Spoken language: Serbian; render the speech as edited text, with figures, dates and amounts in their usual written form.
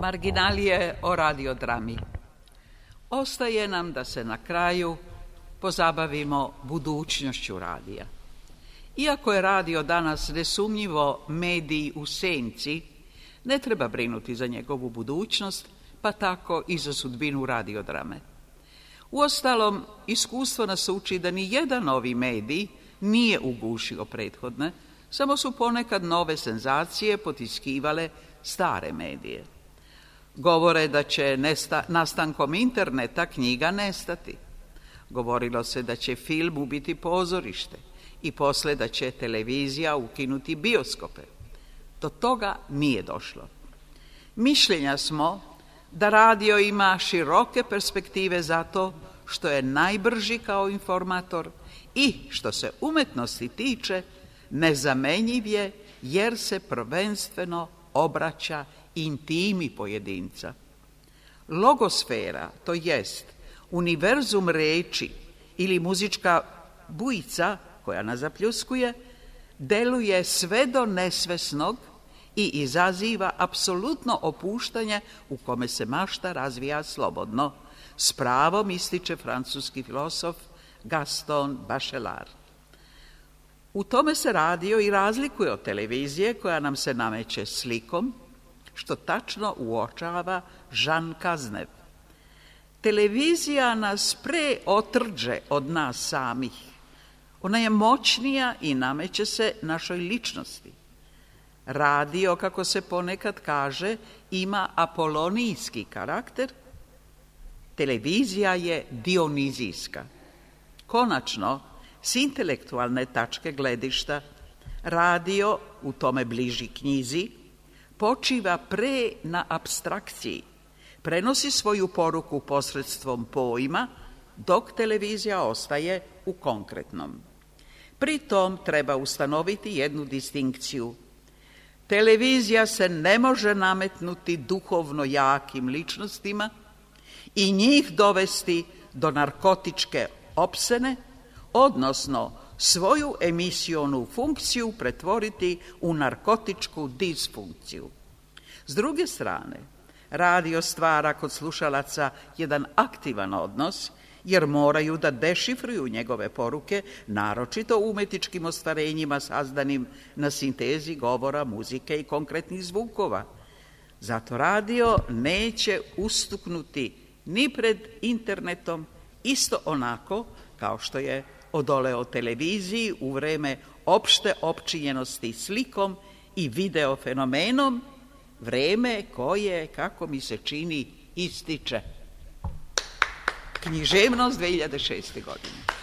Marginalije o radiodrami. Ostaje nam da se na kraju pozabavimo budućnošću radija. Iako je radio danas nesumnjivo medij u senci, ne treba brinuti za njegovu budućnost, pa tako i za sudbinu radiodrame. Uostalom, iskustvo nas uči da ni jedan novi medij nije ugušio prethodne, samo su ponekad nove senzacije potiskivale stare medije. Govore da će nastankom interneta knjiga nestati. Govorilo se da će film ubiti pozorište i posle da će televizija ukinuti bioskope. Do toga nije došlo. Mišljenja smo da radio ima široke perspektive zato što je najbrži kao informator i, što se umetnosti tiče, nezamenjiv je jer se prvenstveno obraća intimi pojedinca. Logosfera, to jest univerzum reči ili muzička bujica koja nas zapljuskuje, deluje sve do nesvesnog i izaziva apsolutno opuštanje u kome se mašta razvija slobodno, s pravom ističe francuski filosof Gaston Bachelard. U tome se radio i razlikuje od televizije koja nam se nameće slikom, što tačno uočava Jean Cazeneuve. Televizija nas pre otrđe od nas samih. Ona je moćnija i nameće se našoj ličnosti. Radio, kako se ponekad kaže, ima apolonijski karakter, televizija je dionizijska. Konačno, s intelektualne tačke gledišta, radio, u tome bliži knjizi, počiva pre na apstrakciji, prenosi svoju poruku posredstvom pojma, dok televizija ostaje u konkretnom. Pritom treba ustanoviti jednu distinkciju. Televizija se ne može nametnuti duhovno jakim ličnostima i njih dovesti do narkotičke opsene, odnosno svoju emisionu funkciju pretvoriti u narkotičku disfunkciju. S druge strane, radio stvara kod slušalaca jedan aktivan odnos, jer moraju da dešifruju njegove poruke, naročito umetničkim ostvarenjima sazdanim na sintezi govora, muzike i konkretnih zvukova. Zato radio neće ustuknuti ni pred internetom, isto onako kao što je odoleo televiziji u vreme opšte opčinjenosti slikom i videofenomenom, vreme koje, kako mi se čini, ističe. Književnost 2006. godine.